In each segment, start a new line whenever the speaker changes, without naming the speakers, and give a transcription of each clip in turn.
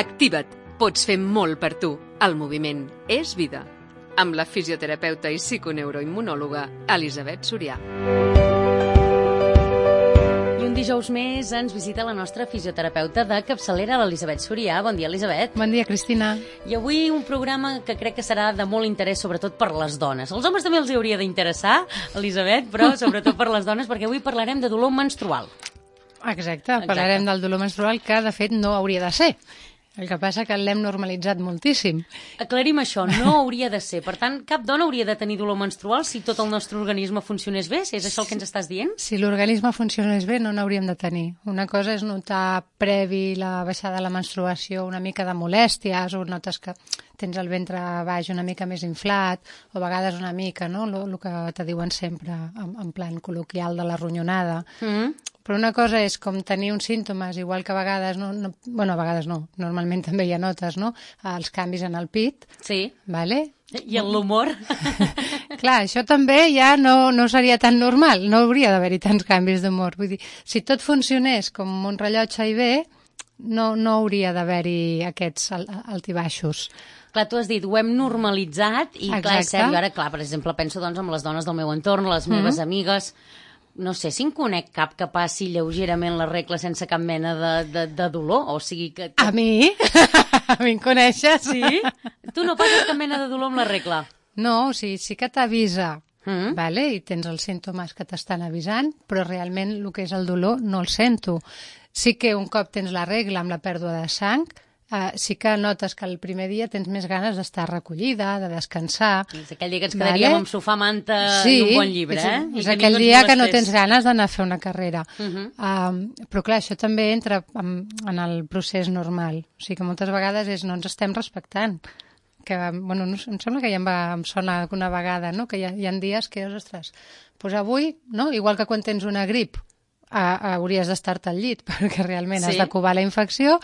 Activa't. Pots fer molt per tu. El moviment és vida. Amb la fisioterapeuta i psiconeuroimmunòloga Elisabet Sorià.
I un dijous més ens visita la nostra fisioterapeuta de capçalera, l'Elisabet Sorià. Bon dia, Elisabet.
Bon dia, Cristina.
I avui un programa que crec que serà de molt interès, sobretot per les dones. Els homes també els hauria d'interessar, Elisabet, però sobretot per les dones, perquè avui parlarem de dolor menstrual.
Exacte, parlarem del dolor menstrual, que de fet no hauria de ser. El que passa que l'hem normalitzat moltíssim.
Aclarim això, no hauria de ser. Per tant, cap dona hauria de tenir dolor menstrual si tot el nostre organisme funcionés bé? És això el que ens estàs dient?
Si l'organisme funcionés bé, no n'hauríem de tenir. Una cosa és notar previ la baixada de la menstruació una mica de molèsties, o notes que tens el ventre baix una mica més inflat, o a vegades una mica, no?, el que te diuen sempre en plan col·loquial de la ronyonada. Però una cosa és com tenir uns símptomes, igual que a vegades, a vegades no, normalment també hi ha notes, no?, els canvis en el pit.
Sí.
Vale?
I en l'humor.
Clar, això també ja no seria tan normal, no hauria d'haver-hi tants canvis d'humor. Vull dir, si tot funcionés com un rellotge i bé, no hauria d'haver-hi aquests altibaixos.
Clar, tu has dit, ho hem normalitzat i
Exacte.
clar, és cert, jo ara, clar, per exemple, penso doncs en les dones del meu entorn, les meves amigues. No sé si en conec cap que passi lleugerament la regla sense cap mena de dolor, o sigui que...
A mi? A mi em coneixes?
Sí? Tu no passes cap mena de dolor amb la regla?
No, o sigui, sí que t'avisa, vale? I tens els símptomes que t'estan avisant, però realment el que és el dolor no el sento. Sí que un cop tens la regla amb la pèrdua de sang, sí que notes que el primer dia tens més ganes d'estar recollida, de descansar.
És aquell dia que ens quedaríem amb sofà, manta i un bon llibre,
És aquell dia que no tens ganes d'anar a fer una carrera. Però clar, això també entra en el procés normal. O sigui que moltes vegades no ens estem respectant. Que, bueno, em sembla que ja em sona alguna vegada, no?, que hi ha dies que, ostres, doncs avui, no?, igual que quan tens una grip, hauries d'estar-te al llit perquè realment has de covar la infecció.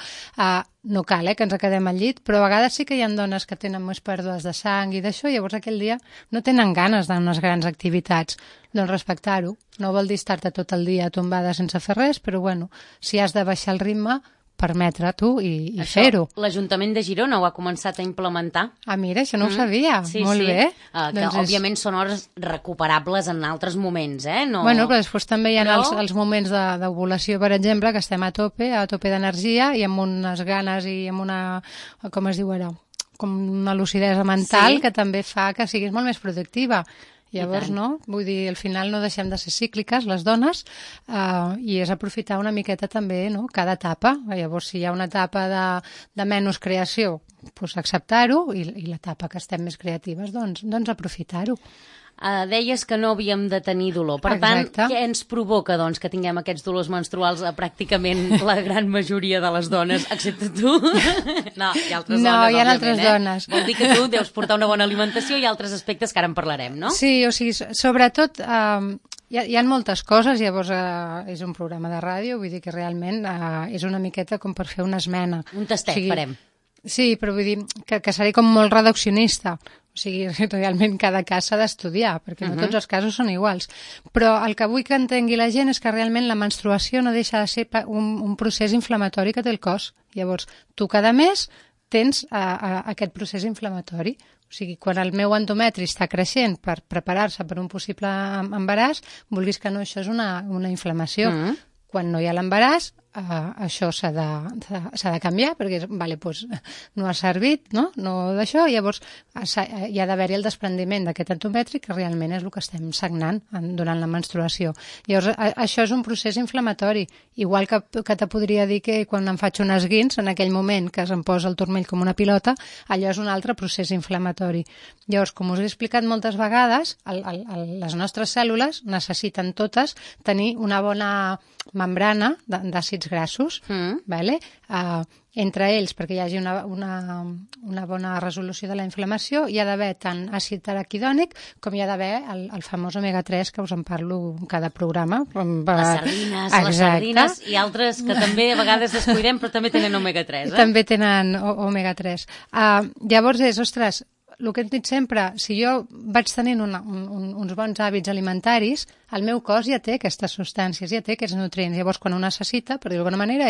No cal que ens quedem al llit, però a vegades sí que hi ha dones que tenen més pèrdues de sang i d'això, i llavors aquell dia no tenen ganes d'unes grans activitats. Doncs respectar-ho. No vol dir estar-te tot el dia tombada sense fer res, però bueno, si has de baixar el ritme, permetre tu i fer-ho.
L'Ajuntament de Girona ho ha començat a implementar.
Mira, això no ho sabia.
Sí,
molt bé.
Que òbviament són hores recuperables en altres moments, No...
Bueno, però després també hi ha els moments d'ovulació, per exemple, que estem a tope d'energia i amb unes ganes i amb una, com es diu ara, com una lucidesa mental que també fa que siguis molt més productiva. Llavors, no? Vull dir, al final no deixem de ser cícliques, les dones, i és aprofitar una miqueta també, no?, cada etapa. Llavors, si hi ha una etapa de menys creació, doncs acceptar-ho, i l'etapa que estem més creatives, doncs aprofitar-ho.
Deies que no havíem de tenir dolor. Per tant, què ens provoca, doncs, que tinguem aquests dolors menstruals a pràcticament la gran majoria de les dones, excepte tu? No, hi ha altres dones,
no, hi ha altres dones.
Vol dir que tu deus portar una bona alimentació i altres aspectes que ara en parlarem, no?
Sí, o sigui, sobretot... Hi ha moltes coses, llavors és un programa de ràdio, vull dir que realment és una miqueta com per fer una esmena.
Un tastet, farem.
Sí, però vull dir que seré com molt reduccionista. O sigui, realment cada cas s'ha d'estudiar, perquè no tots els casos són iguals. Però el que vull que entengui la gent és que realment la menstruació no deixa de ser un procés inflamatori que té el cos. Llavors, tu cada mes tens aquest procés inflamatori. O sigui, quan el meu endometri està creixent per preparar-se per un possible embaràs, vulguis que no, això és una inflamació. Quan no hi ha l'embaràs, això s'ha de canviar, perquè doncs, no ha servit, no d'això, llavors hi ha d'haver-hi el desprendiment d'aquest endometri, que realment és el que estem sagnant durant la menstruació. Llavors, això és un procés inflamatori, igual que te podria dir que quan em faig un esguins, en aquell moment que em posa el turmell com una pilota, allò és un altre procés inflamatori. Llavors, com us he explicat moltes vegades, les nostres cèl·lules necessiten totes tenir una bona membrana d'àcids grassos, vale? Entre ells, perquè hi hagi una bona resolució de la inflamació, hi ha d'haver tant àcid araquidònic com hi ha d'haver el famós omega-3, que us en parlo en cada programa.
Les sardines i altres que també a vegades descuidem, però també tenen omega-3.
També tenen omega-3. Llavors ostres, el que hem dit sempre, si jo vaig tenint uns bons hàbits alimentaris, el meu cos ja té aquestes substàncies, ja té aquests nutrients. Llavors, quan ho necessita, per dir-ho d'alguna manera,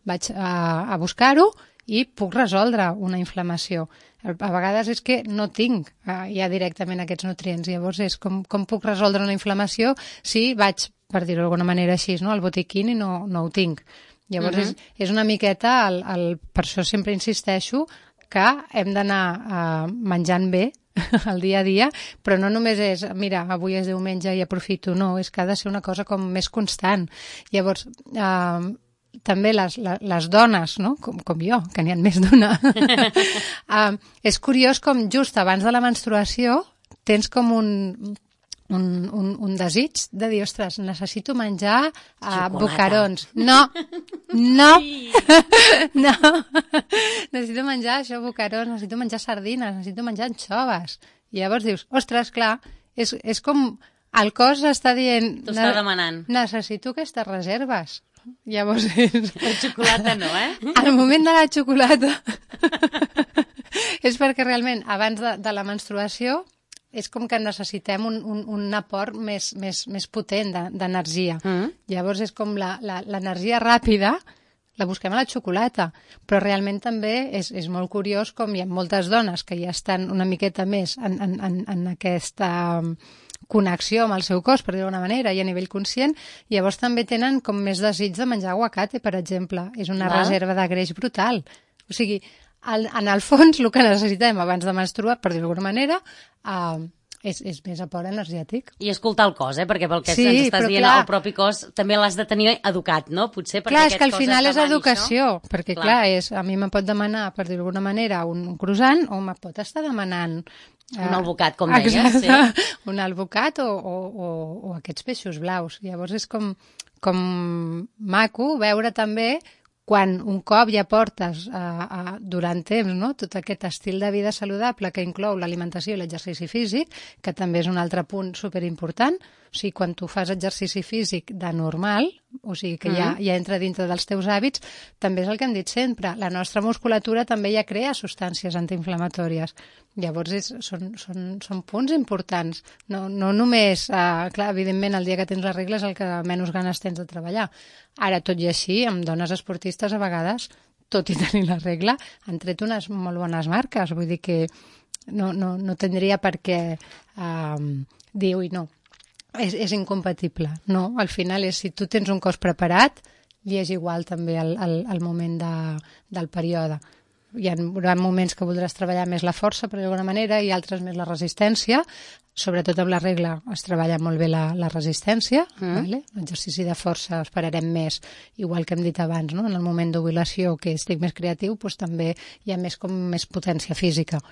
vaig a buscar-ho i puc resoldre una inflamació. A vegades és que no tinc ja directament aquests nutrients. Llavors és com puc resoldre una inflamació si vaig, per dir-ho d'alguna manera així, al botiquín i no ho tinc. Llavors és una miqueta, per això sempre insisteixo que hem d'anar menjant bé el dia a dia, però no només és, mira, avui és diumenge i aprofito, no, és que ha de ser una cosa com més constant. Llavors, també les dones, no? com jo, que n'hi ha més d'una, és curiós com just abans de la menstruació tens com un desig de dir, ostres, necessito menjar bocarons. No. Necessito menjar això, bocarons, necessito menjar sardines, necessito menjar anxoves. I llavors dius, ostres, clar, és com el cos està dient...
T'ho està demanant.
Necessito aquestes reserves. Llavors és...
La xocolata no,
Al moment de la xocolata és perquè realment abans de la menstruació és com que necessitem un aport més potent d'energia. Llavors és com l'energia ràpida la busquem a la xocolata, però realment també és molt curiós com hi ha moltes dones que ja estan una miqueta més en aquesta connexió amb el seu cos, per dir-ho d'una manera, i a nivell conscient, i llavors també tenen com més desig de menjar aguacate, per exemple. És una reserva de greix brutal. O sigui, en el fons, el que necessitem abans de menstruar, per dir-ho d'alguna manera, és més aport energètic.
I escoltar el cos, perquè pel que ens estàs dient, el propi cos també l'has de tenir educat, no? Potser perquè
clar, és que al final és educació, perquè clar, a mi me pot demanar, per dir-ho d'alguna manera, un croissant, o me pot estar demanant...
un albocat, com deies.
Sí. Un albocat o aquests peixos blaus. Llavors és com maco veure també quan un cop ja portes durant temps, no? Tot aquest estil de vida saludable que inclou l'alimentació i l'exercici físic, que també és un altre punt superimportant. O sigui, quan tu fas exercici físic de normal, o sigui que ja entra dintre dels teus hàbits, també és el que hem dit sempre. La nostra musculatura també ja crea substàncies antiinflamatòries. Llavors són punts importants. No només, clar, evidentment, el dia que tens la regla és el que menys ganes tens de treballar. Ara, tot i així, amb dones esportistes, a vegades, tot i tenir la regla, han tret unes molt bones marques. Vull dir que no tindria per què dir, ui, no, és incompatible. No, al final és, si tu tens un cos preparat, li és igual també al moment del període. Hi ha moments que voldràs treballar més la força, per d'alguna manera, i altres més la resistència. Sobretot amb la regla es treballa molt bé la resistència. L'exercici de força esperarem més, igual que hem dit abans, no? En el moment d'ovulació, que estic més creatiu, doncs també hi ha més potència física.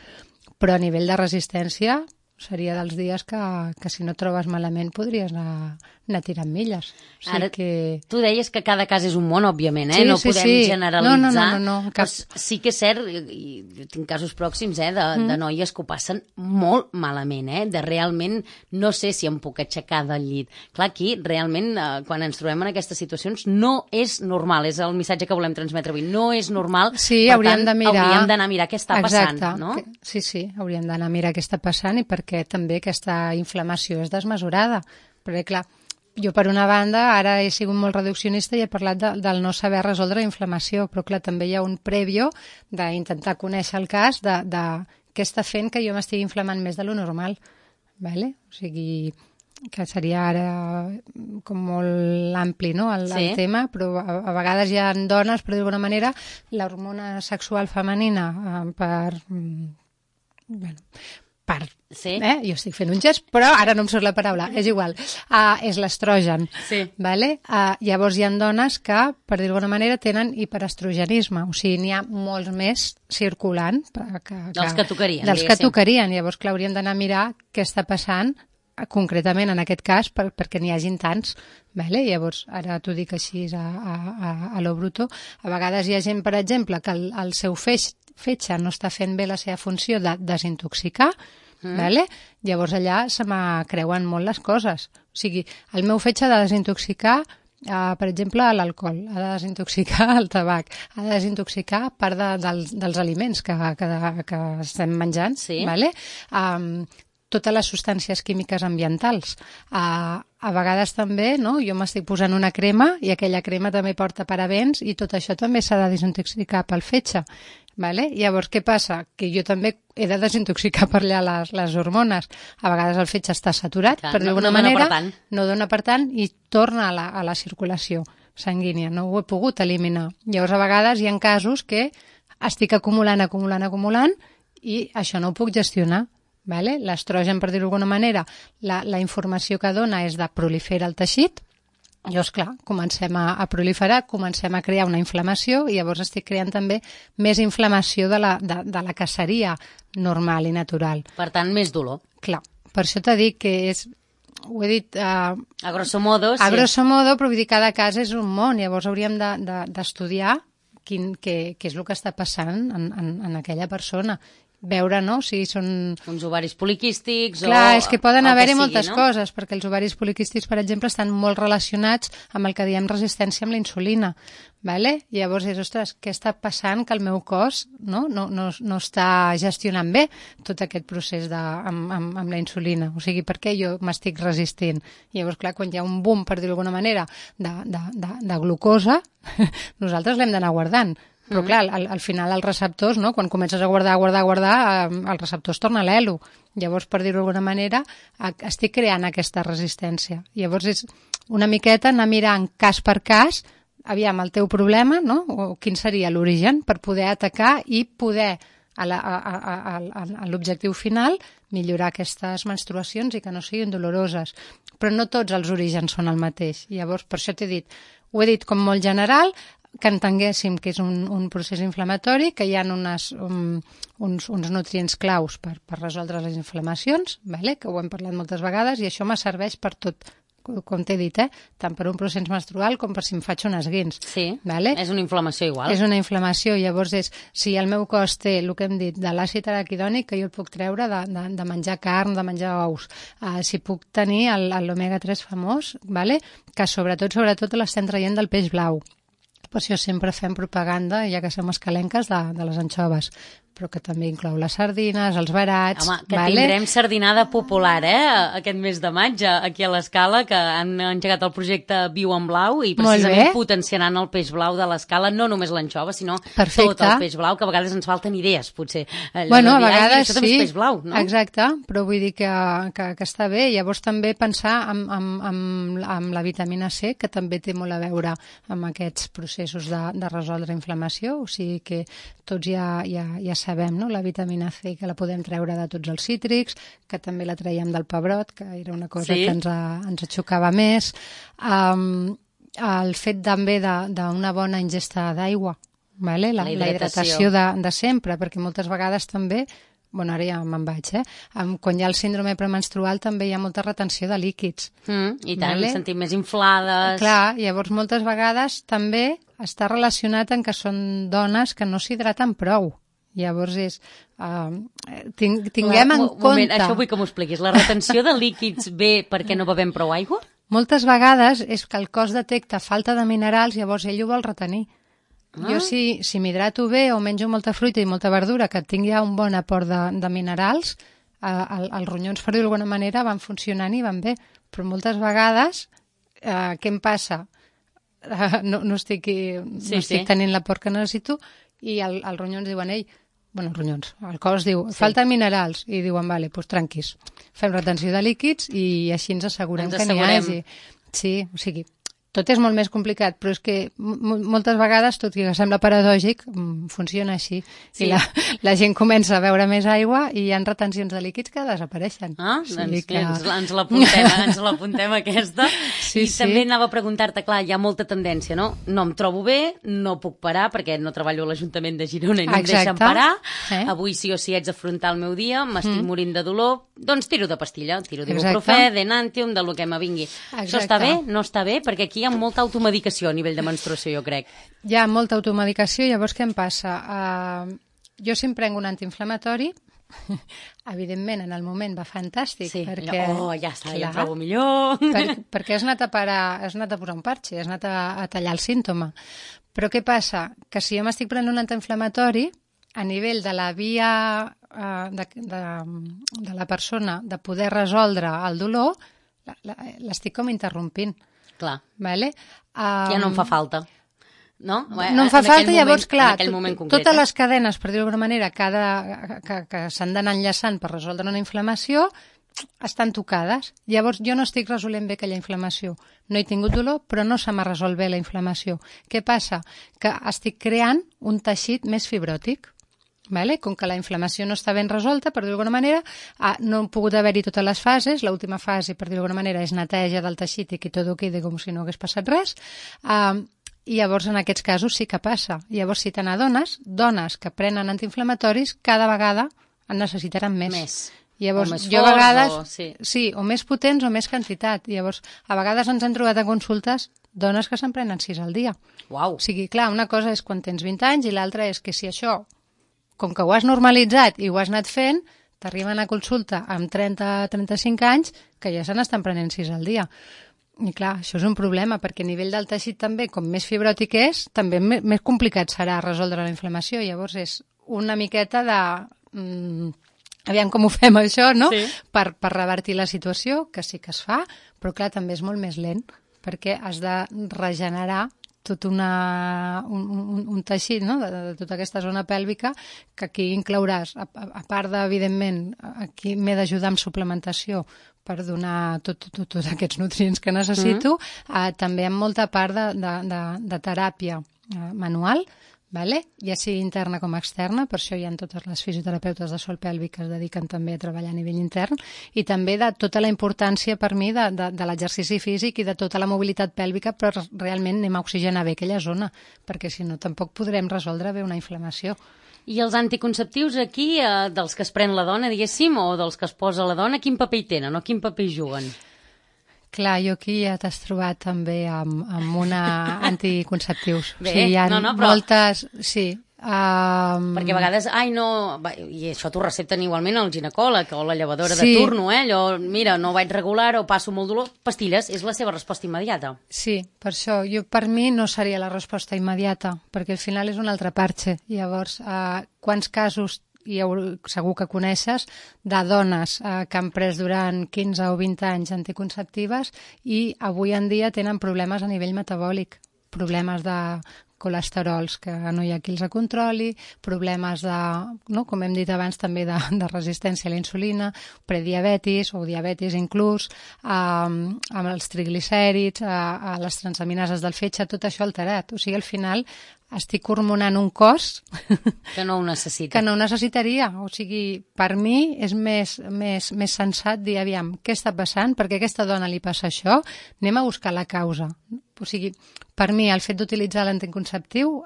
Però a nivell de resistència seria dels dies que si no trobes malament podries anar tirant milles. O sigui
ara,
que...
tu deies que cada cas és un món, òbviament,
Sí,
no
sí,
podem generalitzar.
No, cap...
Sí que és cert, i jo tinc casos pròxims de noies que ho passen molt malament, de realment no sé si em puc aixecar del llit. Clar, aquí realment quan ens trobem en aquestes situacions no és normal, és el missatge que volem transmetre avui, no és normal,
sí,
per
hauríem
d'anar a mirar què està passant. No?
Sí, hauríem d'anar a mirar què està passant i perquè també aquesta inflamació és desmesurada. Perquè clar, jo per una banda ara he sigut molt reduccionista i he parlat del no saber resoldre la inflamació, però clar, també hi ha un prèvio d'intentar conèixer el cas de què està fent que jo m'estigui inflamant més de lo normal. Vale? O sigui, que seria ara com molt ampli, no? el tema, però a vegades hi ha dones, per dir d'alguna manera, l'hormona sexual femenina jo estic fent un gest, però ara no em surt la paraula, és igual, és l'estrogen. Vale? Llavors hi ha dones que, per dir d'alguna manera, tenen hiperestrogenisme, o sigui, n'hi ha molts més circulant
dels que tocarien.
Llavors, clar, hauríem d'anar a mirar què està passant concretament en aquest cas perquè n'hi hagin tants. Vale? Llavors, ara t'ho dic així a lo bruto. A vegades hi ha gent, per exemple, que el seu fetge no està fent bé la seva funció de desintoxicar, vale? Llavors allà se m'acreuen molt les coses. O sigui, el meu fetge ha de desintoxicar, per exemple, l'alcohol, ha de desintoxicar el tabac, ha de desintoxicar part dels aliments que estem menjant, vale? Totes les substàncies químiques ambientals. a vegades també, no? Jo m'estic posant una crema i aquella crema també porta parabens i tot això també s'ha de desintoxicar pel fetge. Vale? Llavors, què passa? Que jo també he de desintoxicar per allà les hormones. A vegades el fetge està saturat,
Clar,
per d'alguna
no dona
manera,
per tant.
no dona per tant i torna a la circulació sanguínia. No ho he pogut eliminar. Llavors, a vegades hi ha casos que estic acumulant i això no ho puc gestionar. Vale? L'estrogen, per dir-ho d'alguna manera, la informació que dona és de proliferar el teixit. Llavors, clar, comencem a proliferar, comencem a crear una inflamació i llavors estic creant també més inflamació de la que seria normal i natural.
Per tant, més dolor.
Clar, per això t'he dit que és... Ho he dit...
A grosso modo, sí.
A grosso modo, però vull dir, cada cas és un món. Llavors hauríem d'estudiar què és el que està passant en aquella persona. Veure, no?, si són...
Uns ovaris poliquístics o...
Clar, és que poden haver-hi moltes
no?
coses, perquè els ovaris poliquístics, per exemple, estan molt relacionats amb el que diem resistència amb la insulina. Vale? Llavors és, ostres, què està passant que el meu cos no està gestionant bé tot aquest procés amb la insulina? O sigui, per què jo m'estic resistint? Llavors, clar, quan hi ha un boom, per dir-ho d'alguna manera, de glucosa, nosaltres l'hem d'anar guardant. Però clar, al final els receptors, no? Quan comences a guardar, el receptor es torna a l'elo. Llavors, per dir-ho d'alguna manera, estic creant aquesta resistència. Llavors és una miqueta anar mirant cas per cas, aviam el teu problema, no? O quin seria l'origen, per poder atacar i poder, a l'objectiu final, millorar aquestes menstruacions i que no siguin doloroses. Però no tots els orígens són el mateix. Llavors, per això t'he dit, ho he dit com molt general, que entenguéssim que és un procés inflamatori, que hi ha uns nutrients claus per resoldre les inflamacions, vale? Que ho hem parlat moltes vegades, i això me serveix per tot, com t'he dit, tant per un procés menstrual com per si em faig un esguins.
Sí,
vale?
És una inflamació igual.
És una inflamació, llavors és, si el meu cos té el que hem dit de l'àcid araquidònic, que jo el puc treure de menjar carn, de menjar ous, si puc tenir l'omega 3 famós, vale? Que sobretot l'estem traient del peix blau. Per això sempre fem propaganda, ja que som escalenques, de les anxoves, però que també inclou les sardines, els barats...
Home, que tindrem sardinada popular, aquest mes de maig, aquí a l'Escala, que han engegat el projecte Viu en Blau i precisament potenciaran el peix blau de l'Escala, no només l'anxova, sinó tot el peix blau, que a vegades ens falten idees, potser.
Bueno, a vegades
sí, peix blau, no?
Exacte, però vull dir que està bé. Llavors també pensar amb la vitamina C, que també té molt a veure amb aquests processos de resoldre inflamació, o sigui que tots ja sabem, no? La vitamina C, que la podem treure de tots els cítrics, que també la traiem del pebrot, que era una cosa que ens xocava més. El fet també d'una bona ingesta d'aigua, vale? La hidratació de sempre, perquè moltes vegades també, bueno, ara ja me'n vaig, quan hi ha el síndrome premenstrual també hi ha molta retenció de líquids.
I tant, ens sentim més inflades.
Clar, llavors moltes vegades també està relacionat en que són dones que no s'hidraten prou. Llavors és... tinguem en compte...
Això vull que m'ho expliquis. La retenció de líquids ve perquè no bevem prou aigua?
Moltes vegades és que el cos detecta falta de minerals, llavors ell ho vol retenir. Jo si m'hidrato bé o menjo molta fruita i molta verdura que tingui un bon aport de minerals, els ronyons, per dir-ho d'alguna manera, van funcionant i van bé. Però moltes vegades, què em passa? No estic tenint l'aport que necessito i els ronyons diuen, el cos diu, falten minerals, i diuen, vale, doncs tranquis, fem retenció de líquids i així ens assegurem que n'hi hagi. Sí, o sigui, tot és molt més complicat, però és que moltes vegades, tot i que sembla paradògic, funciona així. Sí. I la gent comença a beure més aigua i hi ha retencions de líquids que desapareixen.
Ens l'apuntem aquesta. Sí, també anava a preguntar-te, clar, hi ha molta tendència, no? No em trobo bé, no puc parar perquè no treballo a l'Ajuntament de Girona i no em deixen parar. Avui sí o sí haig d'afrontar el meu dia, m'estic morint de dolor, doncs tiro de pastilla, tiro d'ibuprofè, d'enantium, del que me vingui. Això està bé? No està bé? Perquè aquí hi ha molta automedicació a nivell de menstruació, jo crec.
Hi ha molta automedicació, llavors què em passa? Jo si em prenc un antiinflamatori, evidentment en el moment va fantàstic.
Sí,
perquè,
ja està, ja em trobo millor.
Perquè has anat a posar un parxe, has anat a tallar el símptoma. Però què passa? Que si jo m'estic prenent un antiinflamatori, a nivell de la via de la persona de poder resoldre el dolor, l'estic com interrompint.
Clar.
Vale?
Ja no em fa falta. No?
No em fa falta, llavors, clar,
concret,
totes les cadenes, per dir-ho d'alguna manera, que s'han d'anar enllaçant per resoldre una inflamació, estan tocades. Llavors, jo no estic resolent bé aquella inflamació. No he tingut dolor, però no se m'ha resolt bé la inflamació. Què passa? Que estic creant un teixit més fibròtic. Vale? Com que la inflamació no està ben resolta, per dir-ho d'alguna manera, no han pogut haver-hi totes les fases. L'última fase, per dir-ho d'alguna manera, és neteja del teixit i que tot quedi com si no hagués passat res. I llavors en aquests casos sí que passa. Llavors si te n'adones, dones que prenen antiinflamatoris cada vegada en necessitaran més. Llavors,
o més
jo a vegades,
sí,
o més potents o més quantitat. Llavors, a vegades ens hem trobat a consultes dones que se'n prenen 6 al dia.
Uau.
O sigui, clar, una cosa és quan tens 20 anys i l'altra és que si això, com que ho has normalitzat i ho has anat fent, t'arriben a consulta amb 30-35 anys que ja se n'estan prenent 6 al dia. I clar, això és un problema, perquè a nivell del teixit també, com més fibròtic és, també més complicat serà resoldre la inflamació. Llavors és una miqueta de... aviam com ho fem això, no?
Sí.
Per revertir la situació, que sí que es fa, però clar, també és molt més lent, perquè has de regenerar tot un teixit, no? de tota aquesta zona pèlvica, que aquí inclouràs, a part de, evidentment, aquí m'he d'ajudar amb suplementació per donar tots aquests nutrients que necessito, també amb molta part de teràpia manual, vale? Ja sigui interna com externa, per això hi ha totes les fisioterapeutes de sòl pèlvic que es dediquen també a treballar a nivell intern, i també de tota la importància per mi de l'exercici físic i de tota la mobilitat pèlvica, però realment anem a oxigenar bé aquella zona, perquè si no tampoc podrem resoldre bé una inflamació.
I els anticonceptius aquí, dels que es pren la dona, diguéssim, o dels que es posa la dona, quin paper hi tenen o quin paper hi juguen?
Clar, jo aquí ja t'has trobat també amb una anticonceptius.
Bé,
sí, hi ha
però...
moltes... Sí.
Perquè a vegades, i això t'ho recepten igualment el ginecòleg o la llevadora de turno, allò, mira, no vaig regular o passo molt dolor, pastilles, és la seva resposta immediata.
Sí, per això, per mi no seria la resposta immediata, perquè al final és un altre parche. Llavors, quants casos segur que coneixes, de dones que han pres durant 15 o 20 anys anticonceptives i avui en dia tenen problemes a nivell metabòlic, problemes de colesterols que no hi ha qui els controli, problemes de, no, com hem dit abans, també de resistència a la insulina, prediabetis o diabetis inclús, amb els triglicèrids, a les transaminases del fetge, tot això alterat. O sigui, al final estic hormonant un cos
que no ho necessita.
Que no ho necessitaria. O sigui, per mi és més sensat dir, aviam, què està passant? Perquè a aquesta dona li passa això? Anem a buscar la causa. O sigui, per mi, el fet d'utilitzar l'anticonceptiu,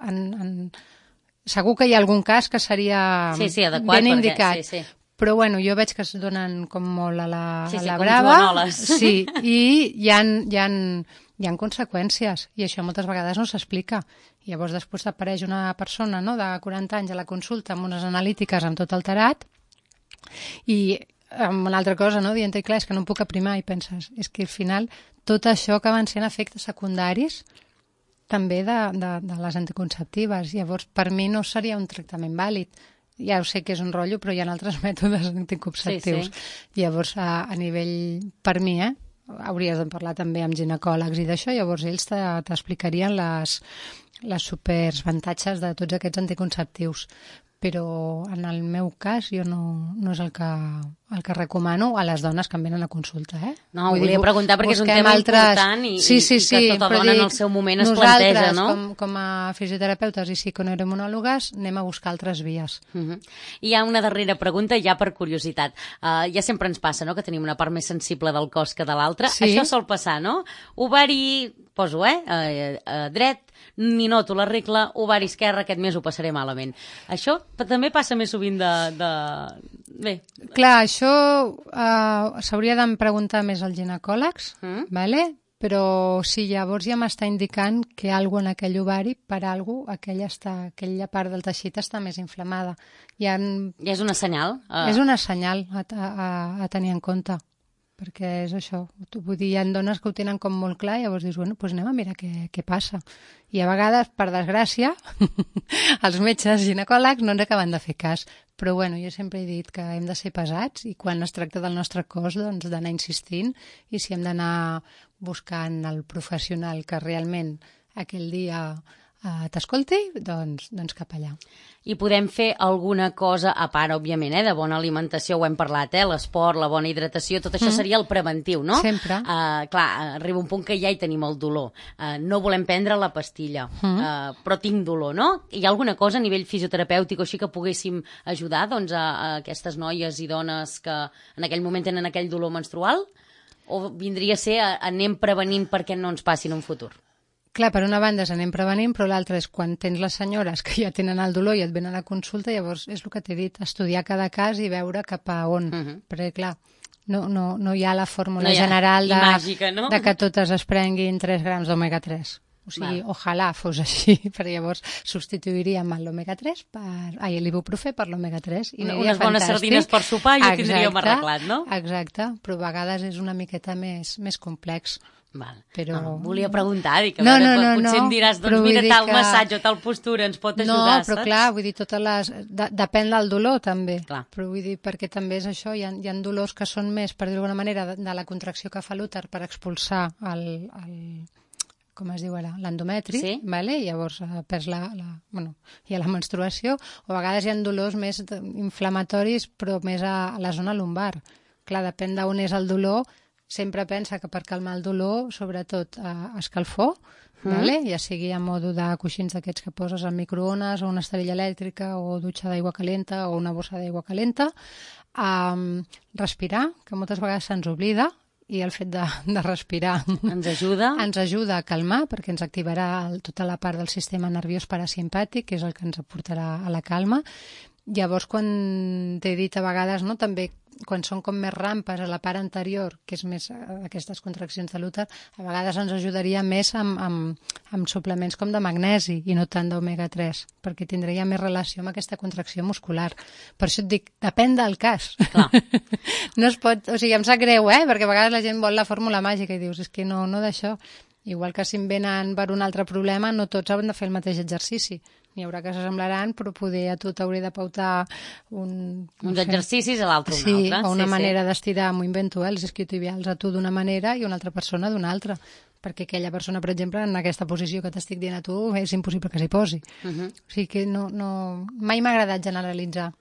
segur que hi ha algun cas que seria
adequat,
ben indicat.
Sí.
Però bueno, jo veig que es donen com molt a la
com
brava.
joanoles.
Sí, i hi ha conseqüències, i això moltes vegades no s'explica. Llavors després apareix una persona, no, de 40 anys a la consulta amb unes analítiques amb tot alterat i amb una altra cosa, no, dient, clar, és que no em puc aprimar, i penses, és que al final tot això acaben sent efectes secundaris també de les anticonceptives. Llavors, per mi no seria un tractament vàlid. Ja ho sé que és un rotllo, però hi ha altres mètodes anticonceptius. Sí. Llavors, a nivell, per mi, hauries de parlar també amb ginecòlegs i d'això, llavors ells t'explicarien les superavantatges de tots aquests anticonceptius. Però en el meu cas jo no és el que recomano a les dones que em venen a consulta.
No, ho volia preguntar perquè és un tema important i que tota dona en el seu moment es planteja, no?
Nosaltres, com a fisioterapeutes i psiconeuroimunòlogues, anem a buscar altres vies.
I hi ha una darrera pregunta, ja per curiositat. Ja sempre ens passa, no?, que tenim una part més sensible del cos que de l'altra. Sí. Això sol passar, no? Ovari, poso, dret, ni noto la regla, ovari esquerre, aquest mes ho passaré malament. Això també passa més sovint Bé.
Clar, això s'hauria de preguntar més als ginecòlegs, vale? Però sí, llavors ja m'està indicant que alguna en aquell ovari, per alguna aquella part del teixit està més inflamada.
Ja és una senyal?
És una senyal a tenir en compte. perquè és això. Vull dir, hi ha dones que ho tenen com molt clar i llavors dius, bueno, doncs anem a mirar què passa. I a vegades, per desgràcia, els metges ginecòlegs no ens acaben de fer cas. Però bueno, jo sempre he dit que hem de ser pesats i quan es tracta del nostre cos, doncs d'anar insistint, i si hem d'anar buscant el professional que realment aquell dia t'escolti, doncs cap allà.
I podem fer alguna cosa, a part, òbviament, de bona alimentació, ho hem parlat, l'esport, la bona hidratació, tot això seria el preventiu, no?
Sempre.
Clar, arriba un punt que ja hi tenim el dolor. No volem prendre la pastilla, però tinc dolor, no? Hi ha alguna cosa a nivell fisioterapèutic o així que poguéssim ajudar doncs, a aquestes noies i dones que en aquell moment tenen aquell dolor menstrual? O vindria a ser anem prevenint perquè no ens passi en un futur?
Clar, per una banda anem prevenint, però l'altra és quan tens les senyores que ja tenen el dolor i et venen a consulta, llavors és el que t'he dit, estudiar cada cas i veure cap a on. Perquè, clar, no hi ha la fórmula general
màgica, no?
de que totes es prenguin 3 grams d'omega 3. O sigui, ojalà fos així, perquè llavors substituiríem l'omega 3 l'ibuprofè per l'omega 3. I
unes bones sardines per sopar i ho tindríem arreglat, no?
Exacte, però a vegades és una miqueta més complex.
Val.
Però...
No, volia preguntar, dic, potser em diràs, doncs mira, tal massatge o tal postura ens pot ajudar,
però clar, vull dir, depèn del dolor també,
clar.
Però vull dir, perquè també és això, hi ha dolors que són més, per dir-ho d'alguna manera, de la contracció que fa l'úter per expulsar com es diu ara, l'endometri,
sí?
Vale? I llavors perds hi ha la menstruació, o a vegades hi ha dolors més inflamatoris, però més a la zona lumbar. Clar, depèn d'on és el dolor, sempre pensa que per calmar el dolor, sobretot escalfor, vale? Ja sigui a modo de coixins d'aquests que poses al microones, o una esterilla elèctrica, o dutxa d'aigua calenta, o una bossa d'aigua calenta. Respirar, que moltes vegades se'ns oblida, i el fet de respirar
ens ajuda
a calmar, perquè ens activarà tota la part del sistema nerviós parasimpàtic, que és el que ens aportarà a la calma. Llavors, quan t'he dit a vegades, no, també quan són com més rampes a la part anterior, que és més aquestes contraccions de l'úter, a vegades ens ajudaria més amb suplements com de magnesi i no tant d'omega 3, perquè tindria més relació amb aquesta contracció muscular. Per això et dic, depèn del cas.
Clar.
No es pot, o sigui, em sap greu, perquè a vegades la gent vol la fórmula màgica i dius, és que no d'això. Igual que si em venen per un altre problema, no tots han de fer el mateix exercici. N'hi haurà que s'assemblaran, però poder a tu t'hauré de pautar
uns exercicis a l'altre
un altre. O una manera d'estirar, m'ho invento, els isquiotibials a tu d'una manera i una altra persona d'una altra. Perquè aquella persona, per exemple, en aquesta posició que t'estic dient a tu, és impossible que s'hi posi. O sigui que mai m'ha agradat generalitzar.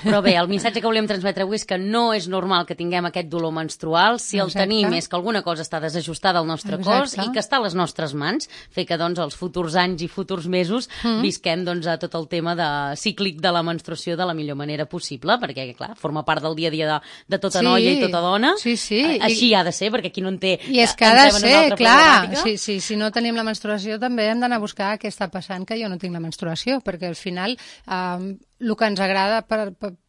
Però bé, el missatge que volíem transmetre avui és que no és normal que tinguem aquest dolor menstrual. Si el tenim és que alguna cosa està desajustada al nostre cos i que està a les nostres mans, fer que doncs els futurs anys i futurs mesos visquem doncs a tot el tema cíclic de la menstruació de la millor manera possible, perquè clar, forma part del dia a dia de tota noia i tota dona.
Sí.
Així ha de ser, perquè qui no en té...
I és que ha de ser, clar. Si no tenim la menstruació també hem d'anar a buscar què està passant que jo no tinc la menstruació, perquè al final el que ens agrada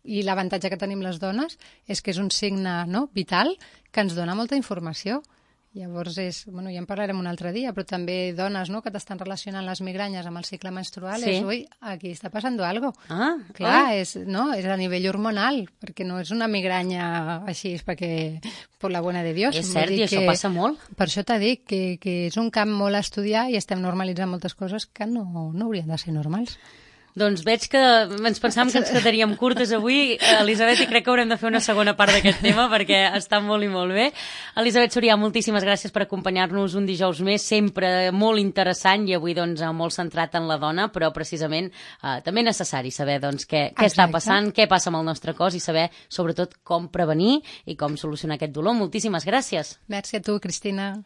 i l'avantatge que tenim les dones és que és un signe vital que ens dona molta informació. Llavors ja en parlarem un altre dia, però també dones que t'estan relacionant les migranyes amb el cicle menstrual, aquí està passant algo. Clar, és a nivell hormonal, perquè no és una migranya així, perquè per la bona de Dios.
És cert, i això passa molt.
Per això t'he dit que és un camp molt a estudiar i estem normalitzant moltes coses que no haurien de ser normals.
Doncs veig que ens pensàvem que ens quedaríem curtes avui, Elisabet, i crec que haurem de fer una segona part d'aquest tema perquè està molt i molt bé. Elisabet Sorià, moltíssimes gràcies per acompanyar-nos un dijous més, sempre molt interessant i avui doncs molt centrat en la dona, però precisament també necessari saber doncs què està passant, què passa amb el nostre cos i saber sobretot com prevenir i com solucionar aquest dolor. Moltíssimes gràcies.
Merci a tu, Cristina.